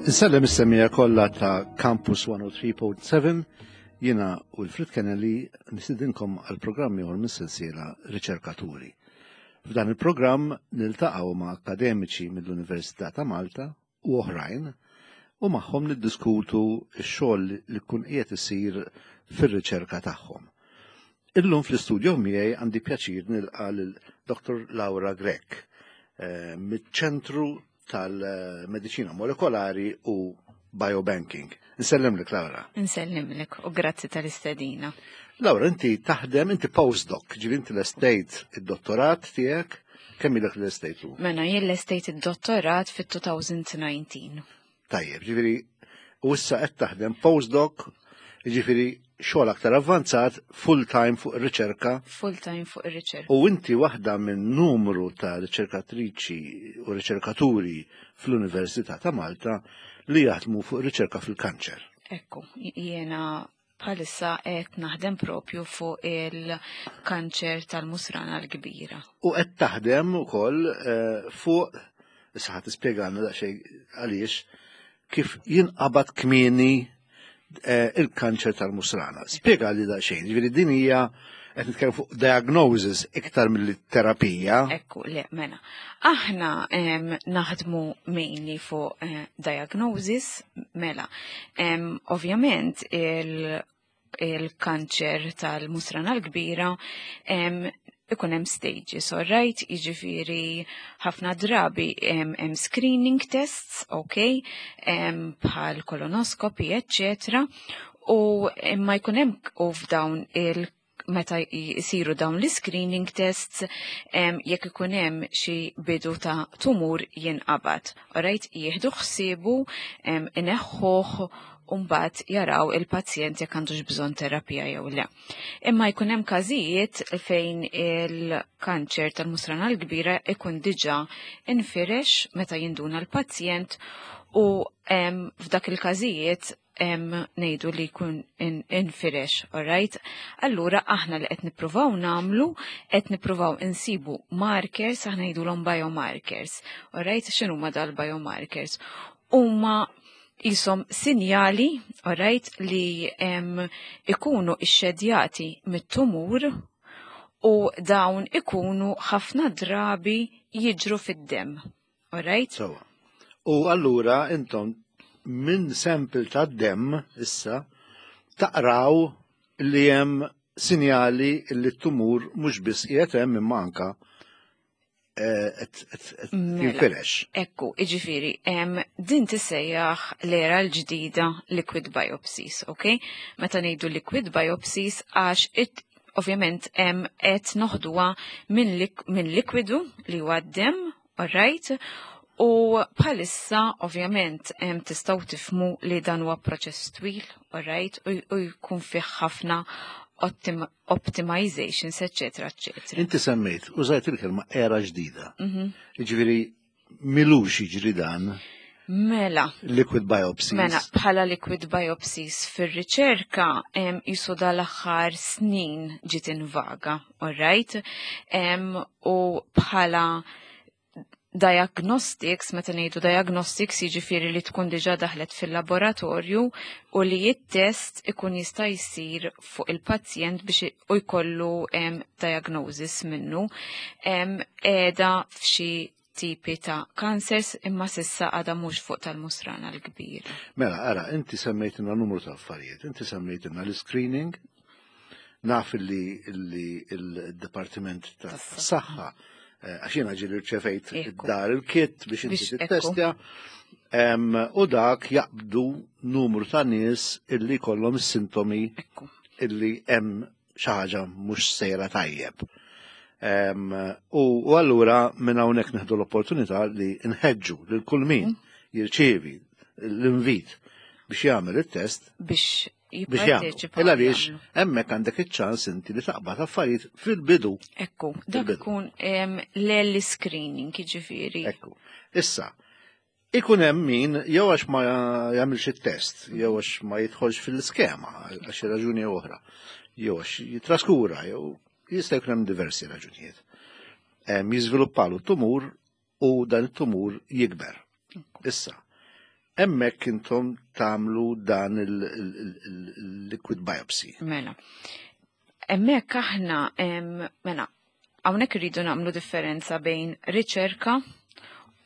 Insellem is-semija kollha ta' Campus 103.7 jiena u l-Frit Kennelly nistidinkom għal programm ieħor mis-sensiela Riċerkaturi. F'dan il-programm niltaqgħu ma' akademiċi mill-Università ta' Malta u oħrajn u magħhom niddiskutu x-xogħol li jkun qiegħed isir fir-riċerka tagħhom. Illum fl-istudio miegħi għandi pjaċir nilqa' lil Dr. Laura Grech eh, miċ-Ċentru tal-Mediċina Molekolari u Biobanking. Nsellimlek Laura. Nsellimlek u grazzi tal-istedina. Laura, inti taħdem, inti postdoc, ġivi inti l-estate id-dottorat tiegħek, kemm ilek l-estate u? Mela, jien l-estate id-dottorat fit-2019. Tajjeb, ġifieri u issa qed taħdem postdoc, ġifieri xogħol aktar avvanzat, full time fuq ir-riċerka. Full time fuq ir-riċerka. U inti waħda minn numru ta' riċerkatriċi u riċerkaturi fl-Università ta' Malta li jaħdmu fuq riċerka fil-kanċer. Ekku, jiena bħalissa qed naħdem propju fuq il-kanċer tal-musrana l-kbira. U qed taħdem ukoll eh, fuq, issa ħadd tispjegalna daqsxejn għaliex, kif jinqabad kmieni eh, il-kanċer tal-musrana. Spjega li daqsxejn, ġifieri din hija qed nitkellem fuq diagnosis iktar mill-terapija. Ekku, le, mela. Aħna naħdmu mainly fuq eh, diagnosis, mela. Ovvjament il-kanċer tal-musrana l-kbira ikun hemm stages, all right? Jiġifieri ħafna drabi hemm screening tests, ok, bħal kolonoskopi, eccetera, u imma jkun hemm u f'dawn il meta jisiru dawn l-screening tests jekk ikun hemm xi bidu ta' tumur jinqabad. Alright, jieħdu ħsiebu ineħħuh u mbagħad jaraw il-pazjent jekk għandux bżonn terapija jew le. Imma jkun hemm każijiet fejn il-kanċer tal-musrana l-kbira ikun diġà infirex meta jinduna l-pazjent u f'dak il-każijiet ngħidu li jkun infirex, alright? Allura aħna li qed nippruvaw nagħmlu, qed nippruvaw insibu markers, aħna ngħidulhom biomarkers, alright? X'inhuma dal-biomarkers? Huma jisom sinjali, alright, li ikunu ixxedjati mit-tumur u dawn ikunu ħafna drabi jiġru fid-demm. Alright? So, u allura intom minn sample ta' dem issa taqraw li hemm sinjali li t-tumur mhux biss qiegħed hemm imma anka eh, mela, jinfirex. Ekku, iġifiri, din tissejjaħ l-era l-ġdida liquid biopsies, ok? Meta ngħidu liquid biopsies għax ovvjament qed noħduha minn likwidu li huwa d-dem, alright? U bħalissa ovvjament tistgħu tifmu li dan huwa proċess twil, alright? U jkun fih ħafna optimizations, eccetera, eccetera. Inti semmejt, użajt il-kelma era ġdida. Mhm. Jiġifieri milux jiġri dan. Mela. Liquid biopsies. Mela, bħala liquid biopsies fir-riċerka jisu dal-aħħar snin ġiet invaga, alright? U bħala diagnostics, meta ngħidu diagnostics jiġifieri li tkun diġà daħlet fil-laboratorju u li t-test ikun jista' jsir fuq il-pazjent biex u jkollu diagnosis minnu qiegħda f'xi tipi ta' cancers imma sissa għadha mhux fuq tal-musrana l-kbir. Mela, ara, inti semmejtilna numru ta' affarijiet, inti semmejtilna l-screening, naf li il-Dipartiment ta' Saħħa, eh, għax jiena ġieli rċevejt dar il-kit biex inti tittestja, u dak jaqbdu numru ta' nies illi kollhom is-sintomi illi hemm xi ħaġa mhux sejra tajjeb. U allura minn hawnhekk neħdu l-opportunità li nħeġġu lil kull min mm. jirċievi l-invit biex jagħmel it-test. Biex Biex jagħmlu. Jipparteċipaw. Il għaliex jagħmlu. hemmhekk għandek iċ-ċans inti li taqbad affarijiet fil-bidu. Ekku, dak Fil-bidu. ikun l-early screening, jiġifieri. Ekku. Issa, ikun hemm min jew għax ma jagħmilx it-test, jew għax ma jidħolx fil-iskema għal xi raġuni oħra, jew għax jitraskura, jew jista' jkun hemm diversi raġunijiet. Jiżviluppalu tumur u dan it-tumur jikber. Issa, hemmhekk intom tagħmlu dan il-liquid biopsy. Mela. Hemmhekk aħna, mela, hawnhekk irridu nagħmlu differenza bejn riċerka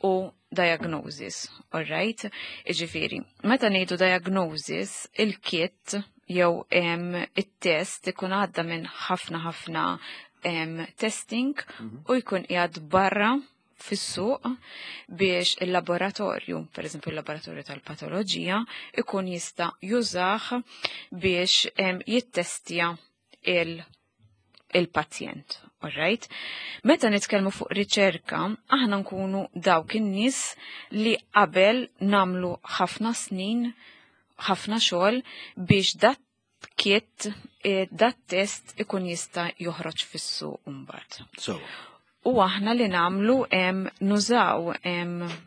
u diagnosis, all right? Iġifieri, meta ngħidu diagnosis, il-kit jew it-test ikun għadda minn ħafna ħafna testing u jkun qiegħed barra fis-suq biex il-laboratorju, per eżempju il-laboratorju tal-patoloġija, ikun jista' jużah biex jittestja il-pazjent. All right? Meta nitkellmu fuq riċerka, aħna nkunu dawk in-nies li qabel namlu ħafna snin, ħafna xogħol biex dat kit, dat test ikun jista' joħroġ fis-suq mbagħad. So, U aħna li namlu nużaw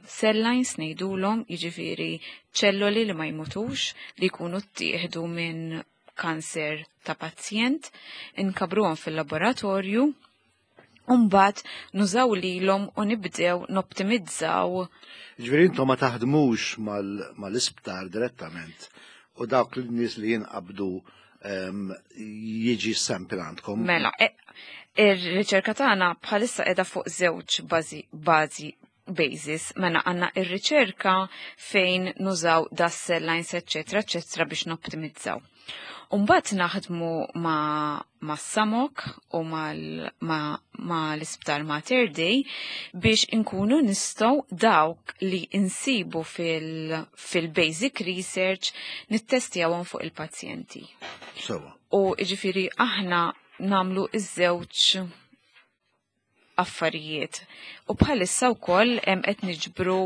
cell lines ngħidulhom, jiġifieri ċelloli li ma jmutux li jkunu ttieħdu minn kanser ta' pazjent, inkabruhom fil-laboratorju, u mbagħad nużaw lilhom u nibdew noptimizzaw. Ġifieri intom ma taħdmux mal-isptar direttament u dawk l-nies li jinqabdu jiġi sample għandkom. Mela, ir-riċerka tagħna bħalissa qiegħda fuq żewġ bażi basis, mela għandna ir-riċerka fejn nużaw das cell lines, eccetera, eccetera, biex noptimizzaw. Umbagħad naħdmu ma' Samok u ma' l-Isptar Mater Dei biex inkunu nistgħu dawk li insibu fil-basic research nittestjawhom fuq il-pazjenti. U ġifieri aħna namlu iż-żewġ affarijiet. U bħalissa wkoll qed niġbru,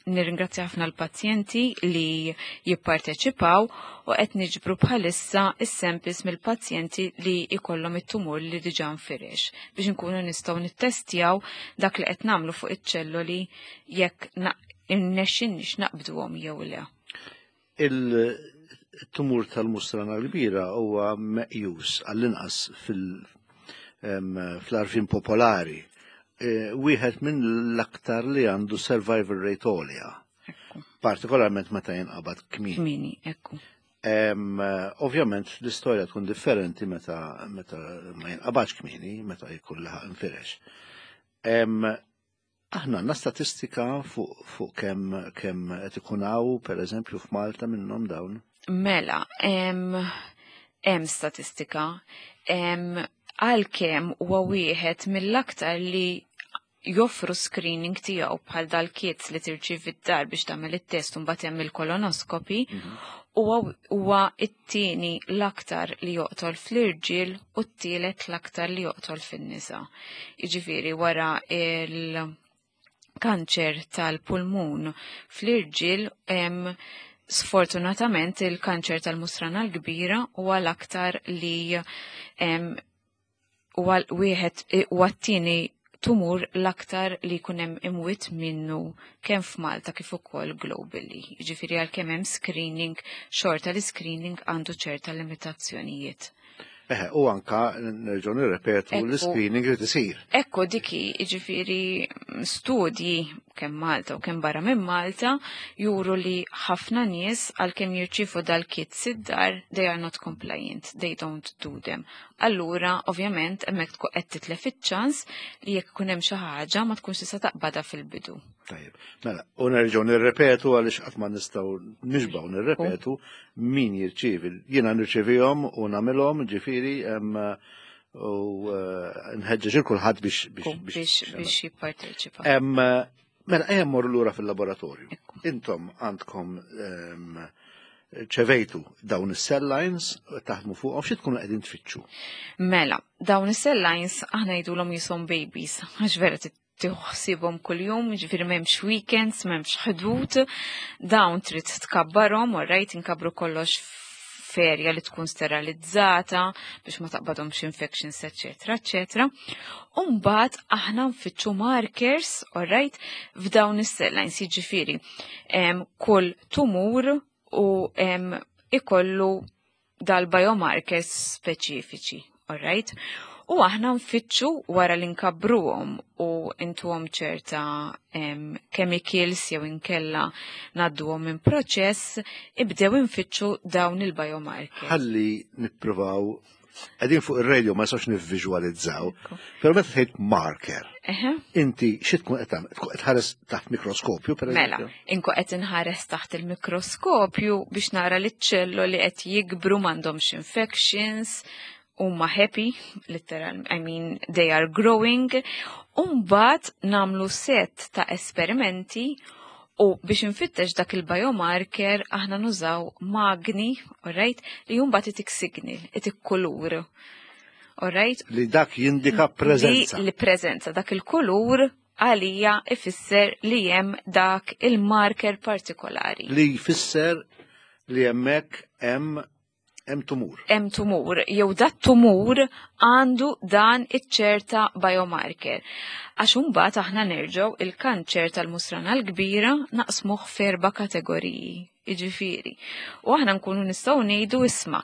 nirringrazzja ħafna l-pazjenti li jipparteċipaw, u qed niġbru bħalissa is-samples mill-pazjenti li jkollhom it-tumur li diġà nfirex biex inkunu nistgħu nittestjaw dak li qed nagħmlu fuq iċ-ċelloli jekk irnexxinniex naqbduhom jew le. Il-tumur tal-musrana l-kbira huwa meqjus għall-inqas fl-għarfien popolari, wieħed minn l-aktar li għandu survival rate għolja. Partikolarment meta jinqabad kmieni. Kmieni, ekku. Ovvjament l-istorja tkun differenti meta ma jinqabadx kmieni, meta jkun laħaq infirex. Aħna għandna statistika fuq kemm qed ikun hawn, per eżempju, f'Malta minnhom dawn? Mela, hemm statistika. Għalkemm huwa wieħed mill-aktar li joffru screening tiegħu bħal dal-kits li tirċievi d-dar biex tagħmel it-test u mbagħad hemm il-kolonoskopi, huwa it-tieni l-aktar li joqtol fl-irġiel u t-tielet l-aktar li joqtol fin-nisa. Jiġifieri wara il-kanċer tal-pulmun fl-irġiel, sfortunatament il-kanċer tal-musrana l-kbira huwa l-aktar li huwa wieħed huwa t-tieni tumur l-aktar li jkun hemm imwiet minnu kemm f'Malta kif ukoll globally. Jiġifieri għalkemm hemm screening, xorta li screening għandu ċerta limitazzjonijiet. Eħe, u anka nerġgħu nirrepetu l-screening li tisir. Ekku diki, jiġifieri studji kemm Malta u kemm barra minn Malta juru li ħafna nies għalkemm jirċievu dal-kit id-dar, they are not compliant, they don't do them. Allura, ovvjament, hemmhekk tkun qed titlef iċ-ċans li jekk ikun hemm xi ħaġa ma tkunx tista' taqbadha fil-bidu. Tajjeb, mela, u nerġgħu nirrepetu għaliex qatt ma nistgħu nixbgħu nirrepetu min jirċievi. Jiena nirċevihom u nagħmilhom, ġifieri, u nħeġġeġ il kulħadd Biex jipparteċipa. Mela, ejja mmorru lura fil-laboratorju. Intom għandkom ċevejtu dawn is-cell lines, taħdmu fuqhom, xi tkunu qegħdin tfittxu? Mela, dawn is-cell lines aħna jgħidulhom jisom babies, għax vera tieħu kuljum, ġifieri m'hemmx weekends, m'hemmx ħdud, dawn trid tkabbarhom, u rajt inkabru kollox f'erja li tkun sterilizzata biex ma taqbadhomx infections, eċetera, eċetera. U mbagħad aħna nfittxu markers, alright, f'dawn is-cell lines, jiġifieri kull tumur u ikollu dal-biomarkers speċifiċi, alright? U aħna nfittxu wara li nkabbruhom u intuhom ċerta chemicals jew inkella ngħadduhom minn proċess, ibdew infittxu dawn il-biomarkers. Ħalli nippruvaw, qegħdin fuq ir-radio ma nistgħux nivviżwalizzaw, però meta tgħid marker, inti xi tkun qed tagħmel? Tkun qed tħares taħt mikroskopju, per Mela, eżempju? inkun qed inħares taħt il-mikroskopju biex nara li ċ-ċelloli qed jikbru, m'għandhomx infections, huma happy, literal, I mean, they are growing. Umbagħad nagħmlu set ta' esperimenti u biex infittex dak il-biomarker aħna nużaw magni, alright, li mbagħad itik signal, itik kulur. Alright? Li dak jindika preżenza. Li preżenza, dak il-kulur għalija ifisser li hemm dak il-marker partikolari. Li jfisser li hemmhekk hemm tumur. Hemm tumur, jew dat tumur għandu dan iċ-ċerta biomarker. Għax imbagħad aħna nerġgħu il-kanċer tal-musrana l-kbira naqsmuh f'erba' kategoriji, jiġifieri. U aħna nkunu nistgħu ngħidu isma'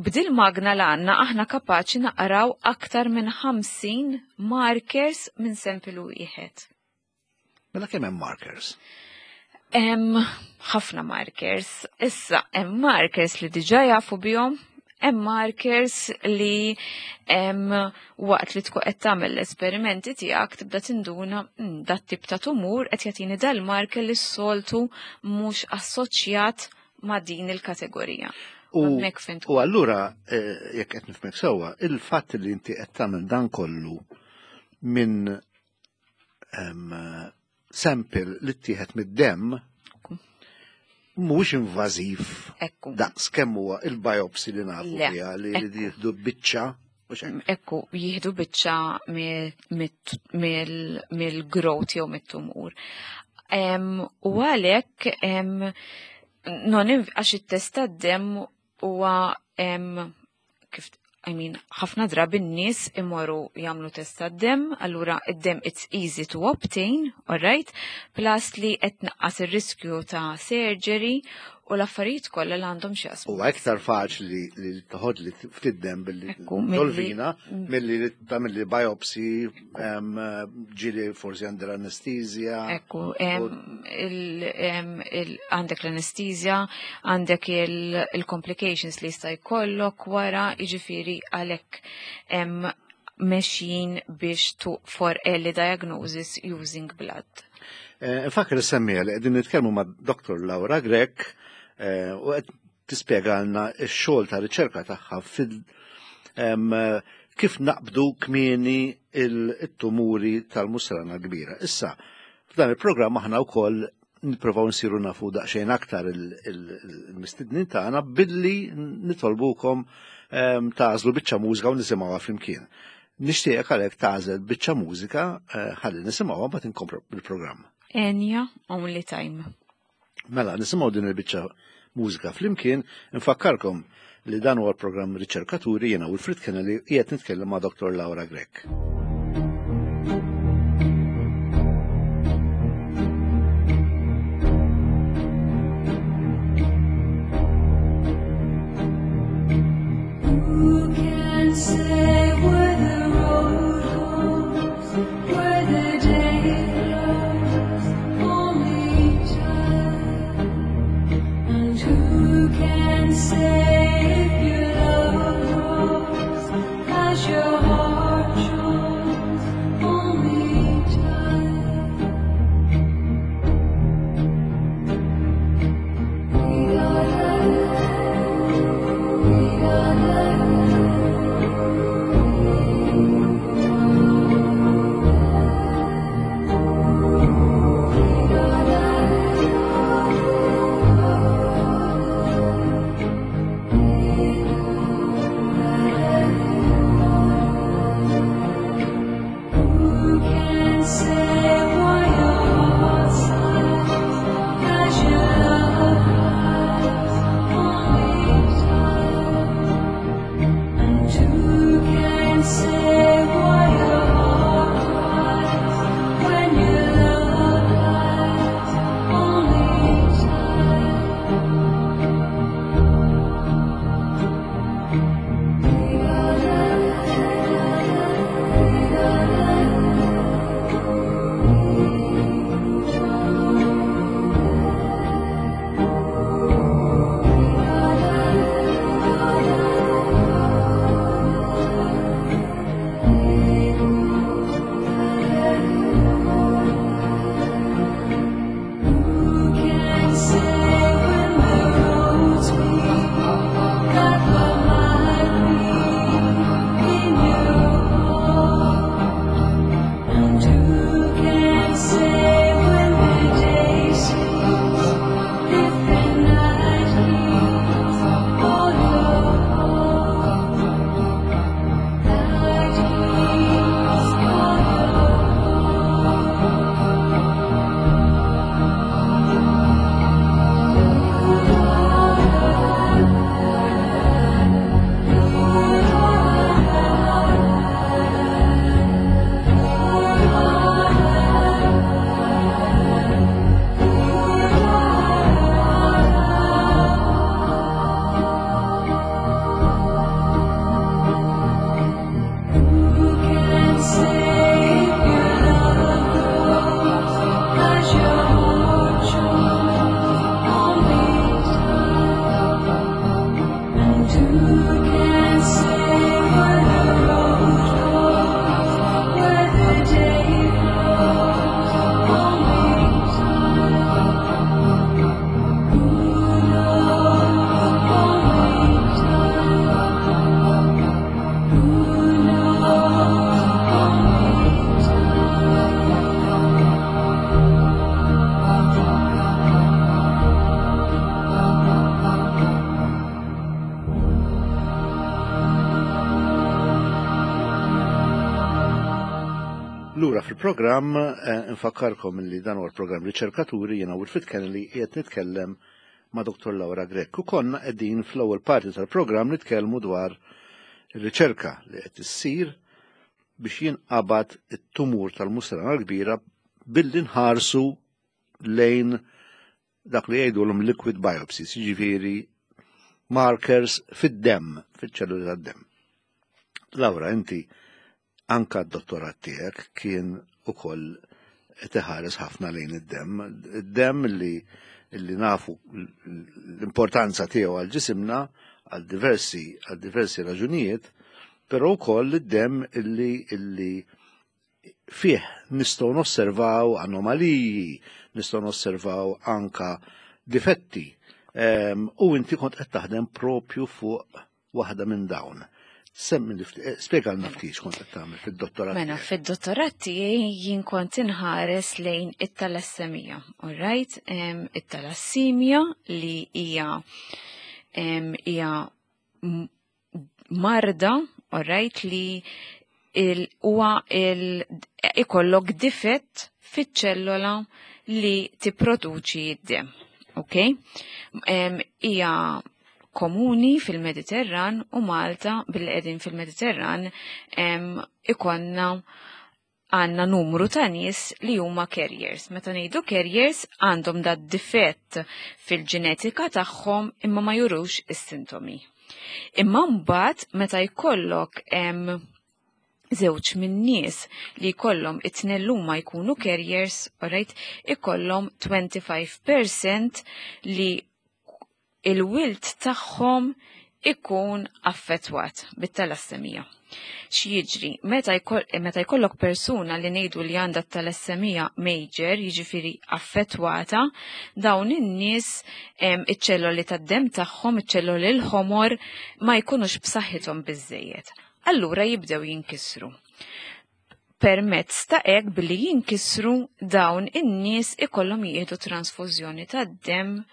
b'dil magna l għandna aħna kapaċi naqraw aktar minn 50 markers minn sample wieħed. Mela kemm hemm markers? Hemm ħafna markers. Issa hemm markers li diġà jafu bihom, hemm markers li hemm waqt li tkun qed tagħmel l-esperimenti tiegħek tibda tinduna dat tip ta' tumur qed jagħtini dal-marker li s-soltu mhux assoċjat ma' din il-kategorija. Hemmhekk fejn tkun. U allura jekk qed nifhmek sewwa, il-fatt li inti qed tagħmel dan kollu minn sample li ttieħed mid-demm mhuwiex invażiv daqs kemm huwa il-biopsy li nafu Le, fiha li ekku. jieħdu biċċa, mhux hekk? Ekku, jieħdu biċċa mill-growth jew mit-tumur. U għalhekk, non għax it-test tad-demm huwa, kif, I mean, ħafna drabi n-nies imorru jagħmlu test tad-demm, allura id-demm it's easy to obtain, all right? Plus li qed tnaqqas ir-riskju ta' surgery u l-affarijiet kollha li għandhom x'jaqsmu. Huwa iktar faċli li toħod li ftit demm billi Ekku, milli tolvina, milli li tagħmel li biopsy, ġieli forsi għandha l-anestezja. Ekku, għandek l-anestezja, għandek il-complications li jista' jkollok wara, jiġifieri għalhekk, mexjin biex to for early diagnosis using blood. Nfakkar is-semmija li qegħdin nitkellmu ma' Dr. Laura Grech u qed tispjegalna x-xogħol ta' riċerka tagħha fil kif naqbdu kmieni il-tumuri tal-musrana kbira. Issa, f'dan il-programm aħna wkoll nippruvaw nsiru nafu daqsxejn aktar il-mistednin tagħna billi nitolbukom tagħżlu biċċa mużika u nisimgħuha flimkien. Nixtieqek għalhekk tagħżel biċċa mużika ħalli nisimgħuha mbagħad inkomplu bil-programm. Enya, Only Time. Mela, nisimgħu din il-biċċa mużika flimkien, nfakkarkom li dan huwa l-programm Riċerkaturi, jiena Wilfred Kennelly qiegħed nitkellem ma' Dr. Laura Grech. Who can say where the road goes, where the day flows, only time? And who can say if your love grows as your heart shows, only Lura fil-programm, infakkarkom li dan huwa l-programm Riċerkaturi, jiena Wilfred Kennedy qiegħed nitkellem ma' Dr. Laura Grech. U konna qegħdin fl-ewwel parti tal-programm nitkellmu dwar ir-riċerka li qed issir biex jinqabad it-tumur tal-musrana l-kbira billi nħarsu lejn dak li jgħidulhom liquid biopsies, jiġifieri markers fid-demm, fiċ-ċelluli tad-demm. Laura, inti anka d-dottorat tiegħek kien ukoll qed iħares ħafna lejn id-demm. Id-demm li nafu l-importanza tiegħu għal ġisimna għal diversi raġunijiet, però wkoll id-demm illi fih nistgħu nosservaw anomaliji, nistgħu nosservaw anka difetti. U inti kont qed taħdem propju fuq waħda minn dawn. Semmi li spjegalna ftit x'kont qed tagħmel fid-dottorat. Mela, fid-dottorat tiegħi jien kont inħares lejn it-talassemija, all right? It-talassemija li hija marda, all right, li huwa ikollok difett fiċ-ċellola li tipproduċi d-dem. Ok? Hija komuni fil-Mediterran u Malta, billi qegħdin fil-Mediterran, ikollna għandna numru ta' nies li huma carriers. Meta ngħidu carriers, għandhom da difett fil-ġenetika tagħhom imma ma jurux is-sintomi. Imma mbagħad meta jkollok żewġ minn nies li jkollhom it-tnejn huma jkunu carriers, alright, ikollhom 25% li il-wild tagħhom ikun affettwat bit-talassemija. X'jiġri? Meta jkollok persuna li ngħidu li għandha talassemija major, jiġifieri affettwata, dawn in-nies iċ-ċelloli tad-dem tagħhom, iċ-ċelloli l-ħomor, ma jkunux b'saħħithom biżejjed. Allura jibdew jinkisru. Permezz ta' hekk, billi jinkisru, dawn in-nies ikollhom jieħdu transfużjoni tad-dem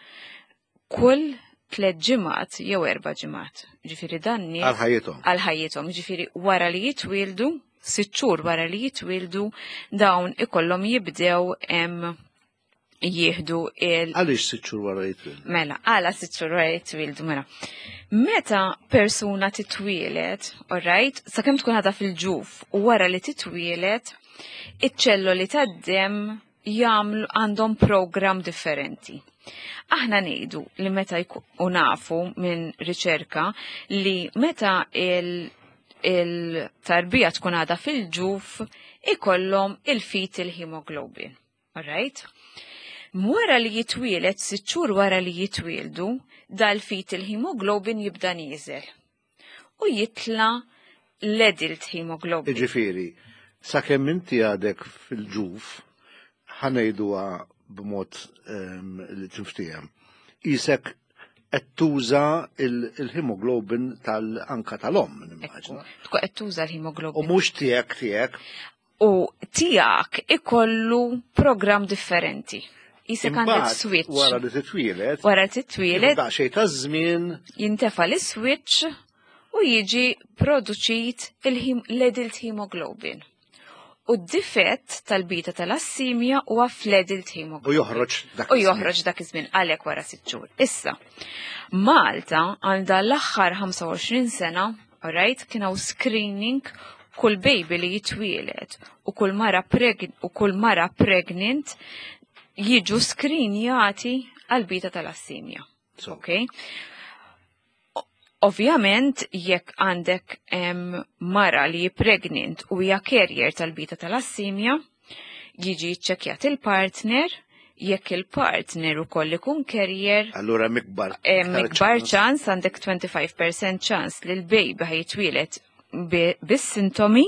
kull 3 ġimgħat jew 4 ġimgħat. Ġifieri dan nies Għal ħajjithom. Għal ħajjithom, ġifieri wara li jitwildu, 6 xhur wara li jitwildu, dawn ikollhom jibdew jieħdu il- Għaliex 6 xhur wara jitwildu? Mela, għala 6 xhur wara jitwildu, mela. Meta persuna titwielet, alright, sakemm tkun għadha fil-ġuf u wara li titwielet, iċ-ċelloli tad-dem jagħmlu għandhom program differenti. Aħna ngħidu li meta u nafu minn riċerka li meta il-tarbija tkun għadha fil-ġuf ikollhom il-fetal hemoglobin. Alright? Wara li jitwielet, 6 xhur wara li jitwieldu, dal-fetal hemoglobin jibda nieżel. U jitla l-adult hemoglobin. Ġifieri, sakemm inti għadek fil-ġuf, ħa ngħiduha b'mod li tinftiehem. Isek qed tuża il-hemoglobin tal-anka tal-om, nimmaġina. Tkun qed tuża l-hemoglobin. U mhux tiegħek tiegħek. U tiegħek ikollu program differenti. Isek għandek Imbagħad, switch. wara li titwielet, Wara titwielet, daqsxejn ta' żmien jintefa l-switch u jiġi produċit l-adult hemoglobin. U d-difett tal-beta thalassemia huwa fl-adult hemoglobin. U joħroġ dak U iż-żmien. joħroġ dak iż-żmien, għalhekk wara 6 xhur. Issa, Malta għandha l-aħħar 25 sena, alright, kien hawn screening kull baby li jitwielet u kull mara pregnant jiġu screenjati għal beta thalassemia. So, Ok? Ovvjament, jekk għandek mara li pregnant u hija carrier tal-beta thalassemia, jiġi ċċekkjat il-partner, jekk il-partner ukoll ikun carrier, Allura mikbar. Mikbar ċans, għandek 25% ċans li l-baby ħa jitwielet bis-sintomi,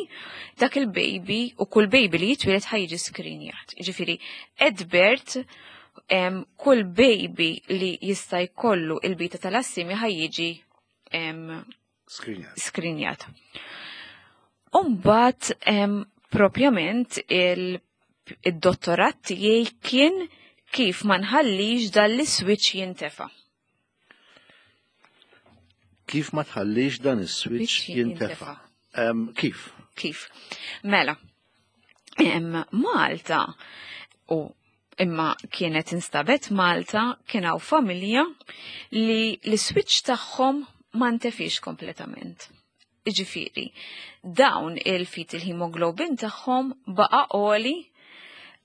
dak il-baby u kull baby li jitwielet ħa jiġi screenjat. Ġifieri, at birth, kull baby li jista' jkollu il-beta thalassemia ħa jiġi Screenjat. screenjat. Umbat, propjament il-dottorat tiegħi kien kif ma nħallix dal-switch jintefa. Kif ma tħallix dan is-switch Switch jintefa? jintefa. Kif? Kif? Mela, Malta u imma kienet instabet Malta kien hawn familja li l-switch tagħhom ma ntefix kompletament. Iġifieri, dawn il-fetal hemoglobin tagħhom baqa' għoli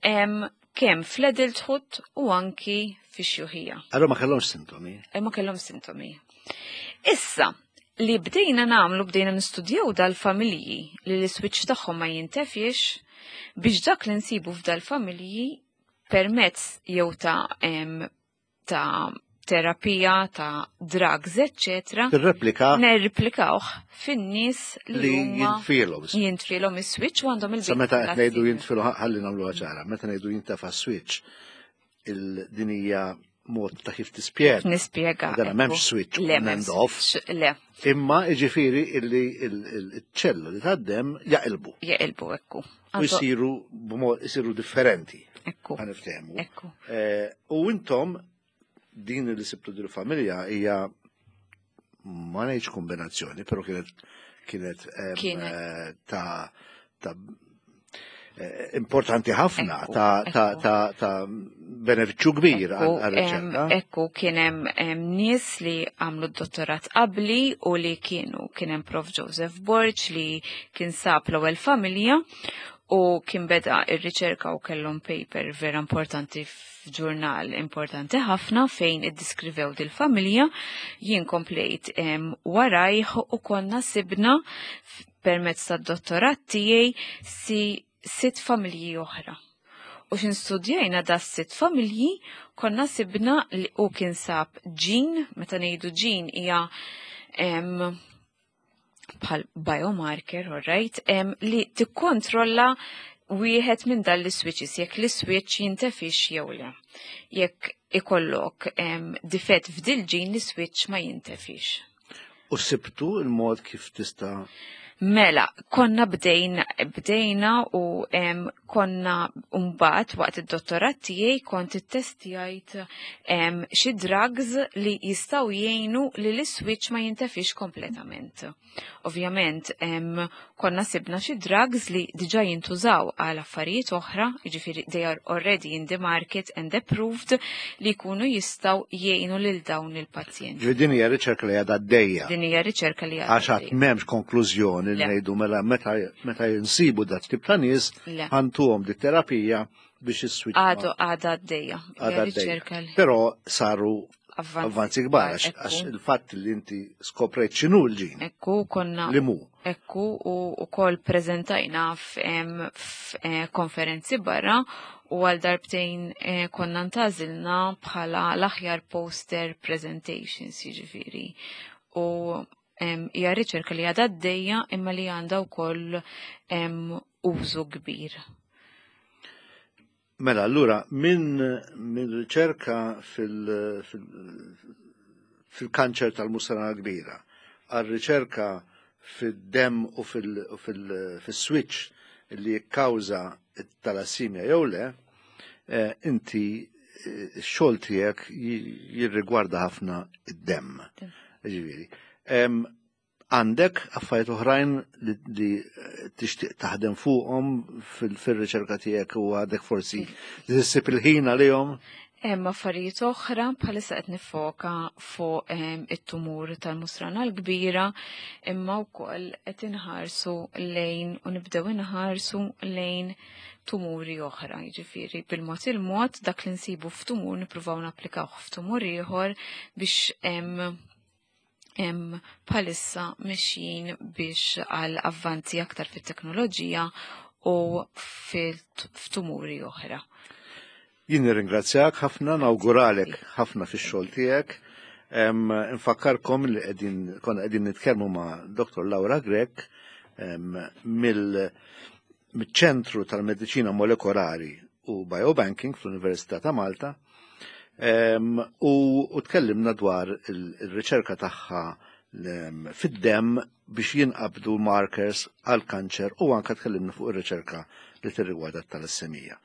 kemm fl-adulthood u anki fix-xjuħija. Allora ma kellhomx sintomi? Eh, ma kellhomx sintomi. Issa, li bdejna nagħmlu bdejna nistudjaw dal-familji li l-switch tagħhom ma jintefiex biex dak li nsibu f'dal-familji permezz jew ta' ta' terapija, ta' drugs, eccetera. Tirreplika. Nerreplikawh fin-nies li jintfilhom. Jintfilhom is-switch u għandhom il Sa meta qed ngħidu jintfilhom ħalli nagħmluha ċara, meta ngħidu jintefa' switch il-dinija mod ta' kif tispjega. Nispjega. Dana m'hemmx switch le, on and off. Le. Imma iġifieri illi il-ċellu li tad-dem jaqilbu. Jaqilbu, ekku. U jsiru b'mod jsiru differenti. Ekku. Ħa niftehmu. Ekku. Eh, u intom din li sibtu dil familja hija ma ngħidx kombinazzjoni, però kienet kienet eh, ta' ta' eh, importanti ħafna ta' ta' ta' ta' benefiċċju kbir għal-riċerka. Ekku kien hemm nies li għamlu d-dottorat qabli u li kienu kien hemm Prof Joseph Borg li kien sab l-ewwel familja u kien beda ir-riċerka u kellhom paper vera importanti f'ġurnal importanti ħafna fejn iddiskrivew dil-familja. Jien komplejt warajh u konna sibna permezz tad-dottorat tiegħi si sitt familji oħra. U xin studjajna da sitt familji, konna sibna li u kien sab ġin, meta ngħidu ġin hija bħal biomarker, all right, li tikkontrolla wieħed minn dan l-switches, jekk l-switch jintefix jew le. Jekk ikollok difett f'dil ġin l-switch ma jintefix. U sibtu il-mod kif tista' Mela, konna bdejna, bdejna u konna mbagħad waqt id-dottorat tiegħi kont ittestjajt xi drugs li jistgħu jgħinu li l-switch ma jintefix kompletament. Ovvjament, konna sibna xi drugs li diġà jintużaw għal affarijiet oħra, jiġifieri they are already in the market and approved li jkunu jistgħu jgħinu lil dawn il-pazjenti. Ġifieri din hija riċerka li għadha għaddejja. Din hija riċerka li għadha. Għax għad m'hemmx konklużjoni li ngħidu mela meta jinsibu dat tip ta' nies ħantuhom di terapija biex is-switch. Għadu għadha għaddejja. Għadha għaddejja. Però saru avvanzi kbar għax il-fatt li inti skoprejt x'inhu l-ġin. Ekku konna. Li mu. Ekku u wkoll preżentajna f'konferenzi barra u għal darbtejn eh, konna ntażilna bħala l-aħjar poster presentations jiġifieri. U hija riċerka li għadha għaddejja imma li għandha wkoll użu kbir. Mela, allura, minn min riċerka fil-kanċer tal-musrana kbira, għal riċerka fid-dem u fil-switch li jikkawża t-talassimja jew le, eh, inti eh, x-xogħol tiegħek jirrigwarda ħafna id-dem. Ġifieri. Għandek affarijiet oħrajn li tixtieq taħdem fuqhom fil-riċerka tiegħek u għadek forsi li ssib il-ħin għalihom? Hemm affarijiet oħra bħalissa qed nifoka fuq ehm, it-tumur tal-musrana l-kbira imma wkoll qed inħarsu lejn u nibdew inħarsu lejn tumuri oħra. Jiġifieri bil-mod il-mod dak li nsibu f'tumur nippruvaw napplikawh f'tumur ieħor biex ehm, bħalissa mexjin biex għal avvanzi aktar fit-teknoloġija u f'tumuri oħra. Jien nirringrazzjak ħafna, nawguralek ħafna fix-xogħol tiegħek. Infakkarkom li qegħdin konna qegħdin nitkellmu ma' Dr. Laura Grech mill-ċentru tal-Mediċina Molekolari u Biobanking fl-Università ta' Malta u tkellimna dwar il-riċerka tagħha fid-dem biex jinqabdu markers għal kanċer u anka tkellimna fuq ir-riċerka li tirrigwarda t-talassemija.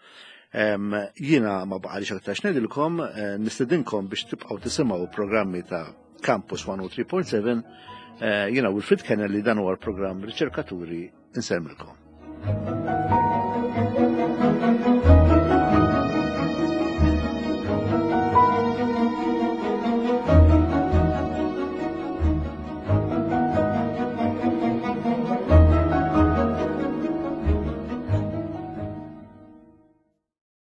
Jiena ma baqalix aktar x'ngħidilkom, eh, nistedinkom biex tibqgħu tisimgħu programmi ta' Campus 103.7 eh, jiena Wilfrid Kennelly dan huwa l-programm Riċerkaturi insemmilkom.